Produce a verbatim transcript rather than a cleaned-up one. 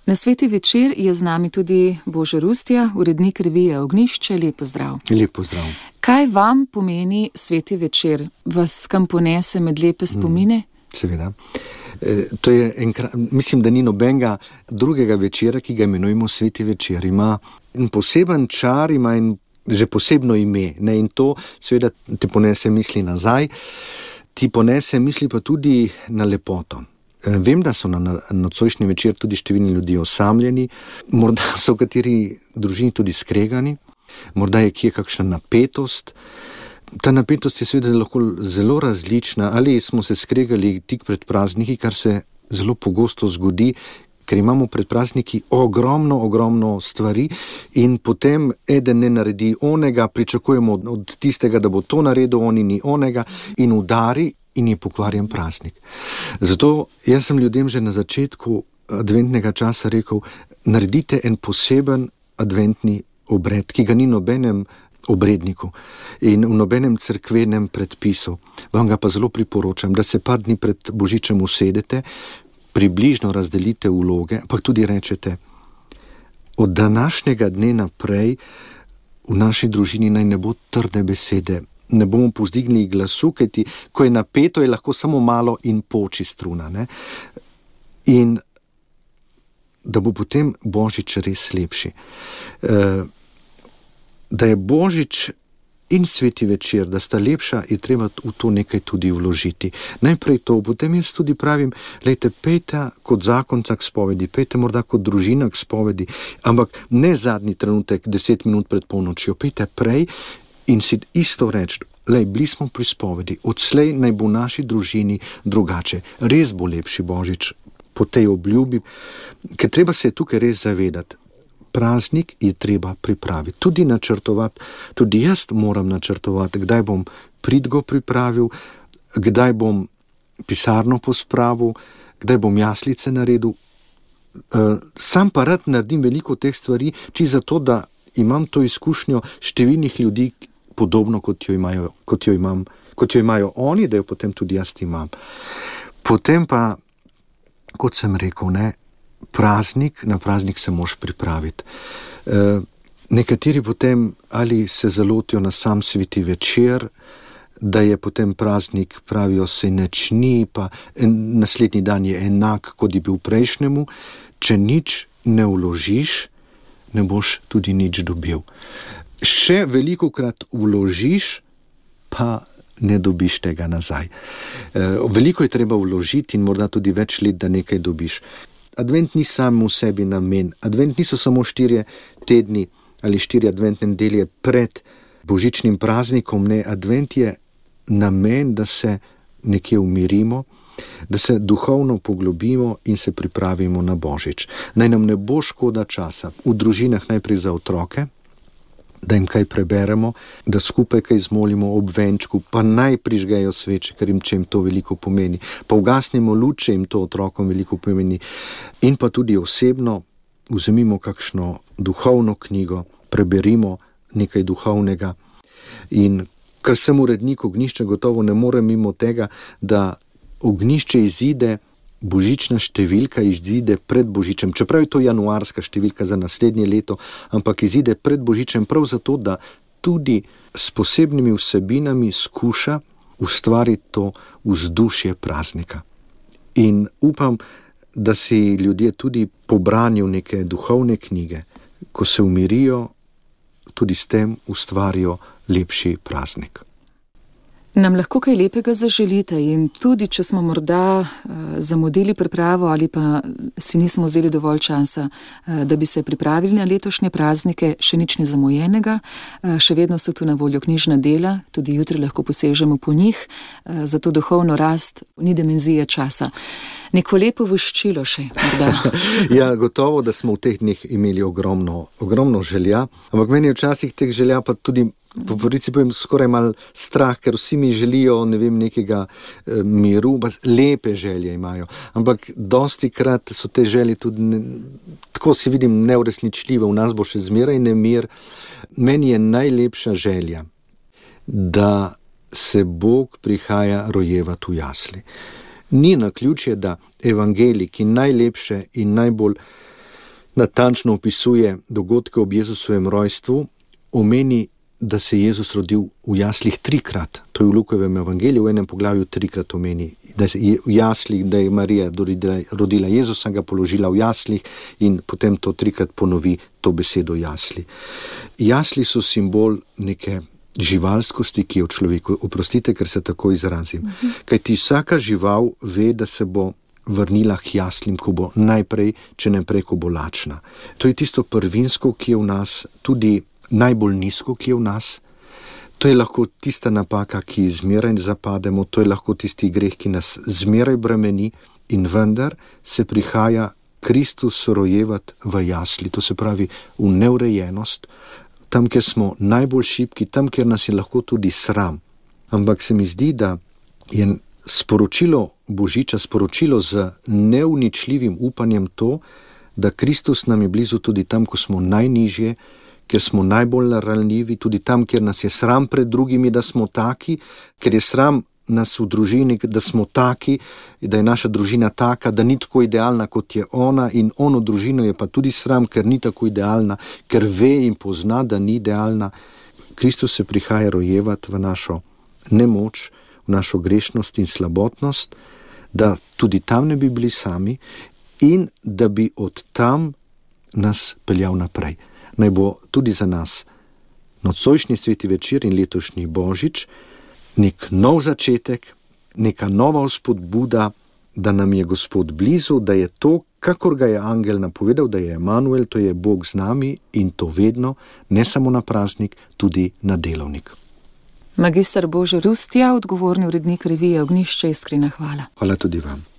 Na Sveti večer je z nami tudi Božo Rustja, urednik revije Ognjišče. Lep pozdrav. Lep pozdrav. Kaj vam pomeni Sveti večer? Vas kam ponese med lepe spomine? Mm, seveda. E, to je enkrat, mislim, da ni nobenega drugega večera, ki ga imenujemo Sveti večer. Ima poseben čar, ima in že posebno ime. Ne? In to seveda te ponese misli nazaj, ti ponese misli pa tudi na lepoto. Vem, da so na nocojšnji večer tudi številni ljudje osamljeni, morda so v kateri družini tudi skregani, morda je kje kakšna napetost. Ta napetost je seveda lahko zelo različna, ali smo se skregali tik pred prazniki, kar se zelo pogosto zgodi, ker imamo pred prazniki ogromno, ogromno stvari in potem eden ne naredi onega, pričakujemo od tistega, da bo to naredil, oni ni onega in udari in je pokvarjen praznik. Zato jaz sem ljudem že na začetku adventnega časa rekel, naredite en poseben adventni obred, ki ga ni nobenem obredniku in v nobenem cerkvenem predpisu. Vam ga pa zelo priporočam, da se par dni pred Božičem usedete, približno razdelite vloge, pa tudi rečete, od današnjega dne naprej v naši družini naj ne bo trde besede, ne bomo povzdignili glasu, kajti ko je napeto, je lahko samo malo in poči struna. Ne? In da bo potem Božič res lepši. E, da je Božič in Sveti večer, da sta lepša, je treba v to nekaj tudi vložiti. Najprej to, potem jaz tudi pravim, lejte, pejte kot zakonca k spovedi, pejte morda kot družina k spovedi, ampak ne zadnji trenutek, deset minut pred polnočjo, pejte prej in si isto reči, lej, bili smo pri spovedi, odslej naj bo v naši družini drugače, res bo lepši Božič po tej obljubi, ker treba se je tukaj res zavedati. Praznik je treba pripraviti, tudi načrtovati, tudi jaz moram načrtovati, kdaj bom pridgo pripravil, kdaj bom pisarno pospravil, kdaj bom jaslice naredil. Sam pa rad naredim veliko teh stvari, či zato, da imam to izkušnjo številnih ljudi, podobno kot jo imajo, kot jo imam, kot jo imajo oni, da jo potem tudi jaz imam. Potem pa, kot sem rekel, ne, praznik, na praznik se moš pripraviti. E, nekateri potem ali se zalotijo na sam Sveti večer, da je potem praznik, pravijo se nič ni, pa en, naslednji dan je enak, kot je bil prejšnjemu. Če nič ne vložiš, ne boš tudi nič dobil. Še velikokrat vložiš, pa ne dobiš tega nazaj. E, veliko je treba vložiti in morda tudi več let, da nekaj dobiš. Advent ni sam v sebi namen. Advent niso samo štirje tedni ali štiri adventne nedelje pred božičnim praznikom. Ne, advent je namen, da se nekje umirimo, da se duhovno poglobimo in se pripravimo na Božič. Naj nam ne bo škoda časa. V družinah najprej za otroke, da jim kaj preberemo, da skupaj kaj zmolimo ob venčku, pa naj prižgejo sveče, ker jim, če jim to veliko pomeni. Pa ugasnimo luč, če jim to otrokom veliko pomeni. In pa tudi osebno vzemimo kakšno duhovno knjigo, preberimo nekaj duhovnega. In ker sem urednik Ognjišča, gotovo ne morem mimo tega, da Ognjišče izide, božična številka izide pred Božičem, čeprav je to januarska številka za naslednje leto, ampak izide pred Božičem prav zato, da tudi s posebnimi vsebinami skuša ustvariti to vzdušje praznika. In upam, da si ljudje tudi po branju neke duhovne knjige, ko se umirijo, tudi s tem ustvarijo lepši praznik. Nam lahko kaj lepega zaželite in tudi, če smo morda uh, zamudili pripravo ali pa si nismo vzeli dovolj časa, uh, da bi se pripravili na letošnje praznike, še nič ni zamujenega, uh, še vedno so tu na voljo knjižna dela, tudi jutri lahko posežemo po njih, uh, za to duhovno rast ni dimenzije časa. Neko lepo voščilo še, morda. Ja, gotovo, da smo v teh dneh imeli ogromno, ogromno želja, ampak meni je včasih teh želja pa tudi po pravici povem skoraj malo strah, ker vsi mi želijo, ne vem, nekega e, miru, pa lepe želje imajo. Ampak dosti krat so te želje tudi, ne, tako si vidim, neuresničljive, v nas bo še zmeraj nemir. Meni je najlepša želja, da se Bog prihaja rojevati v jasli. Ni naključje, da evangelij, ki najlepše in najbolj natančno opisuje dogodke ob Jezusovem rojstvu, omeni, da se je Jezus rodil v jaslih trikrat. To je v Lukovem evangeliju v enem poglavju trikrat omeni, da je v jaslih, da je Marija rodila Jezusa, ga položila v jaslih in potem to trikrat ponovi to besedo jasli. Jasli so simbol neke živalskosti, ki je v človeku. Oprostite, ker se tako izrazim. Uh-huh. Kajti vsaka žival ve, da se bo vrnila k jaslim, ko bo najprej, če ne prej, ko bo lačna. To je tisto prvinsko, ki je v nas, tudi najbolj nizko, ki je v nas. To je lahko tista napaka, ki zmeraj zapademo, to je lahko tisti greh, ki nas zmeraj bremeni, in vendar se prihaja Kristus rojevat v jasli, to se pravi v neurejenost, tam, kjer smo najbolj šibki, tam, kjer nas je lahko tudi sram. Ampak se mi zdi, da je sporočilo Božiča, sporočilo z neuničljivim upanjem to, da Kristus nam je blizu tudi tam, ko smo najnižje, ker smo najbolj ranljivi, tudi tam, kjer nas je sram pred drugimi, da smo taki, ker je sram nas v družini, da smo taki, da je naša družina taka, da ni tako idealna, kot je ona, in ono družino je pa tudi sram, ker ni tako idealna, ker ve in pozna, da ni idealna. Kristus se prihaja rojevat v našo nemoč, v našo grešnost in slabotnost, da tudi tam ne bi bili sami in da bi od tam nas peljal naprej. Naj bo tudi za nas nocojšnji sveti večer in letošnji Božič nek nov začetek, neka nova vzpodbuda, da nam je Gospod blizu, da je to, kakor ga je angel napovedal, da je Emanuel, to je Bog z nami in to vedno, ne samo na praznik, tudi na delovnik. Magister Božo Rustja, odgovorni urednik revije Ognjišče, iskrena hvala. Hvala tudi vam.